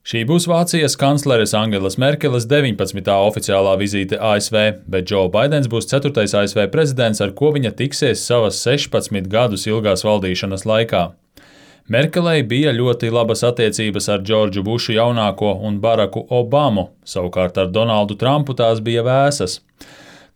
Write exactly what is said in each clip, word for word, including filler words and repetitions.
Šī būs Vācijas kancleres Angelas Merkeles deviņpadsmitā oficiālā vizīte A S V, bet Džo Baidens būs ceturtais A S V prezidents, ar ko viņa tiksies savas sešpadsmit gadus ilgās valdīšanas laikā. Merkelei bija ļoti labas attiecības ar Džordžu Bušu jaunāko un Baraku Obamu, savukārt ar Donaldu Trumpu tās bija vēsas.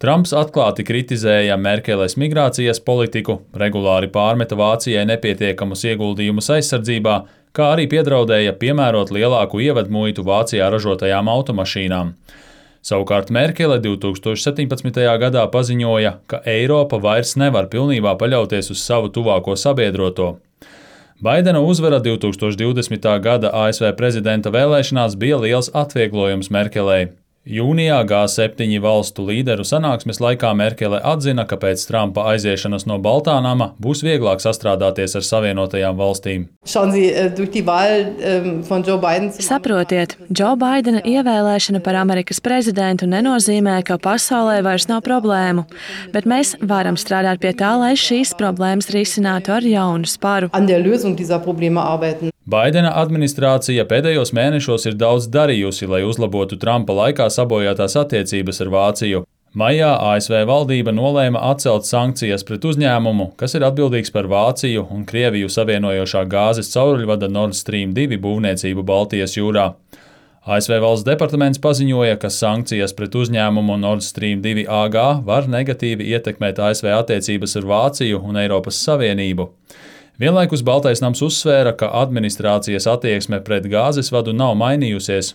Trumps atklāti kritizēja Merkeles migrācijas politiku, regulāri pārmeta Vācijai nepietiekamus ieguldījumus aizsardzībā, kā arī piedraudēja piemērot lielāku ievadmuitu Vācijā ražotajām automašīnām. Savukārt Merkele divtūkstoš septiņpadsmitajā gadā paziņoja, ka Eiropa vairs nevar pilnībā paļauties uz savu tuvāko sabiedroto. Baidena uzvara divtūkstoš divdesmitā gada A S V prezidenta vēlēšanās bija liels atvieglojums Merkelei. Jūnijā G septiņi valstu līderu sanāksmes laikā Merkele atzina, ka pēc Trumpa aiziešanas no Baltā nama būs vieglāk sastrādāties ar Savienotajām valstīm. Saprotiet, Džo Baidena ievēlēšana par Amerikas prezidentu nenozīmē, ka pasaulē vairs nav problēmu, bet mēs varam strādāt pie tā, lai šīs problēmas risinātu ar jaunu sparu. Baidena administrācija pēdējos mēnešos ir daudz darījusi, lai uzlabotu Trumpa laikā sabojātās attiecības ar Vāciju. Maijā A S V valdība nolēma atcelt sankcijas pret uzņēmumu, kas ir atbildīgs par Vāciju un Krieviju savienojošā gāzes cauruļvada Nord Stream divi būvniecību Baltijas jūrā. A S V valsts departaments paziņoja, ka sankcijas pret uzņēmumu Nord Stream divi A G var negatīvi ietekmēt A S V attiecības ar Vāciju un Eiropas Savienību. Vienlaikus Baltais nams uzsvēra, ka administrācijas attieksme pret gāzes vadu nav mainījusies.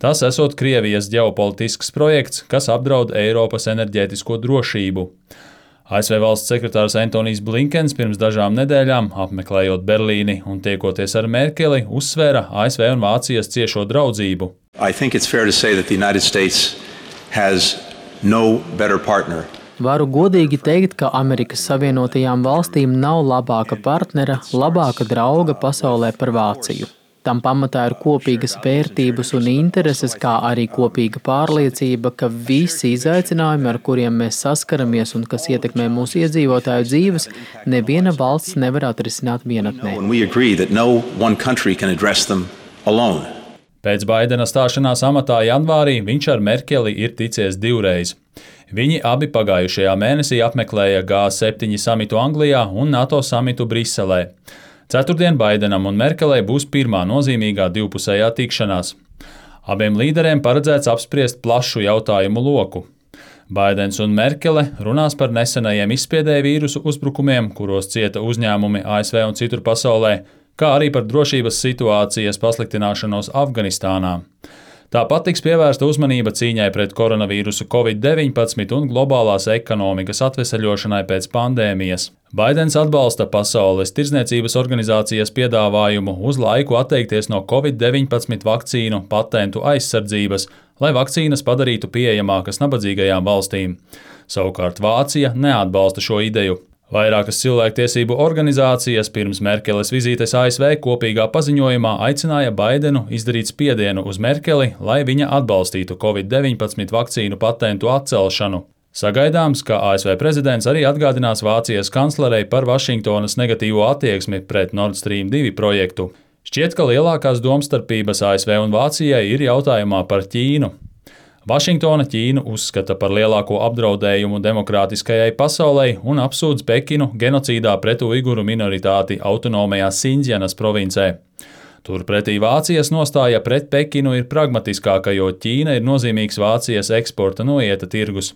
Tas esot Krievijas ģeopolitisks projekts, kas apdraud Eiropas enerģētisko drošību. A S V valsts sekretārs Antonijs Blinkens pirms dažām nedēļām, apmeklējot Berlīni un tiekoties ar Merkeli, uzsvēra A S V un Vācijas ciešo draudzību. I think it's fair to say that the United States has no better partner. Varu godīgi teikt, ka Amerikas Savienotajām valstīm nav labāka partnera, labāka drauga pasaulē par Vāciju. Tam pamatā ir kopīgas vērtības un intereses, kā arī kopīga pārliecība, ka visi izaicinājumi, ar kuriem mēs saskaramies un kas ietekmē mūsu iedzīvotāju dzīves, neviena valsts nevar atrisināt vienatnē. Pēc Baidena stāšanās amatā janvārī viņš ar Merkeli ir ticies divreiz. Viņi abi pagājušajā mēnesī apmeklēja G septiņi samitu Anglijā un NATO samitu Briselē. Ceturtdien Baidenam un Merkelei būs pirmā nozīmīgā divpusējā tikšanās. Abiem līderiem paredzēts apspriest plašu jautājumu loku. Baidens un Merkele runās par nesenajiem izspiedēju vīrusu uzbrukumiem, kuros cieta uzņēmumi A S V un citur pasaulē, kā arī par drošības situācijas pasliktināšanos Afganistānā. Tāpat tiks pievērsta uzmanība cīņai pret koronavīrusu Covid deviņpadsmit un globālās ekonomikas atveseļošanai pēc pandēmijas. Baidens atbalsta Pasaules tirdzniecības organizācijas piedāvājumu uz laiku atteikties no Covid deviņpadsmit vakcīnu patentu aizsardzības, lai vakcīnas padarītu pieejamākas nabadzīgajām valstīm. Savukārt Vācija neatbalsta šo ideju. Vairākas cilvēktiesību organizācijas pirms Merkeles vizītes A S V kopīgā paziņojumā aicināja Baidenu izdarīt spiedienu uz Merkeli, lai viņa atbalstītu Covid deviņpadsmit vakcīnu patentu atcelšanu. Sagaidāms, ka A S V prezidents arī atgādinās Vācijas kanclerei par Vašingtonas negatīvo attieksmi pret Nord Stream divi projektu. Šķiet, ka lielākās domstarpības A S V un Vācijai ir jautājumā par Ķīnu. Vašingtona Ķīnu uzskata par lielāko apdraudējumu demokrātiskajai pasaulei un apsūdz Pekinu genocīdā pret uiguru minoritāti autonomajā Sindzjanas provincē. Turpretī Vācijas nostāja pret Pekinu ir pragmatiskāka, jo Ķīna ir nozīmīgs Vācijas eksporta noieta tirgus.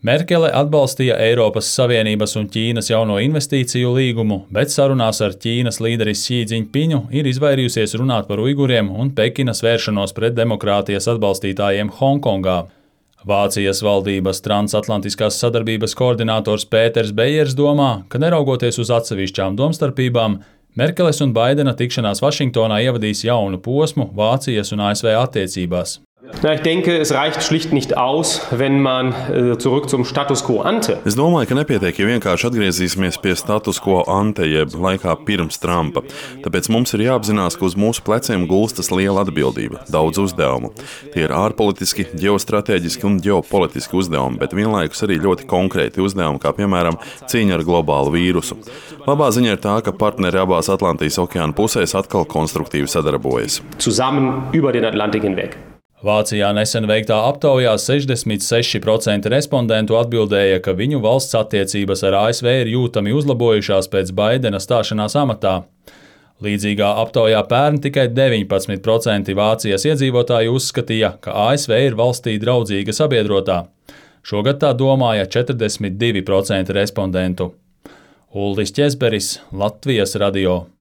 Merkele atbalstīja Eiropas Savienības un Ķīnas jauno investīciju līgumu, bet sarunās ar Ķīnas līderi Xi Džiņpiņu ir izvairījusies runāt par uiguriem un Pekinas vēršanos pret demokrātijas atbalstītājiem Hongkongā. Vācijas valdības transatlantiskās sadarbības koordinators Pēters Bejers domā, ka neraugoties uz atsevišķām domstarpībām, Merkeles un Baidena tikšanās Vašingtonā ievadīs jaunu posmu Vācijas un A S V attiecībās. Na, ich denke, es reicht schlicht nicht aus, wenn man äh, zurück zum Status quo ante. Es domāju, ka nepietiek, ja vienkārši atgriezīsimies pie status quo ante, jeb laikā pirms Trumpa. Tāpēc mums ir jāapzinās, ka uz mūsu pleciem gulstas liela atbildība, daudz uzdevumu. Tie ir ārpolitiski, ģeostrateģiski un ģeopolitiski uzdevumi, bet vienlaikus arī ļoti konkrēti uzdevumi, kā piemēram cīņa ar globālu vīrusu. Labā ziņa ir tā, ka partneri abās Atlantijas okeāna pusēs atkal konstruktīvi sadarbojas. Zusammen über den Atlantik hinweg. Vācijā nesen veiktā aptaujā sešdesmit seši procenti respondentu atbildēja, ka viņu valsts attiecības ar A S V ir jūtami uzlabojušās pēc Baidena stāšanās amatā. Līdzīgā aptaujā pērn tikai deviņpadsmit procenti Vācijas iedzīvotāji uzskatīja, ka A S V ir valstī draudzīga sabiedrotā. Šogad tā domāja četrdesmit divi procenti respondentu. Uldis Ķezberis, Latvijas radio.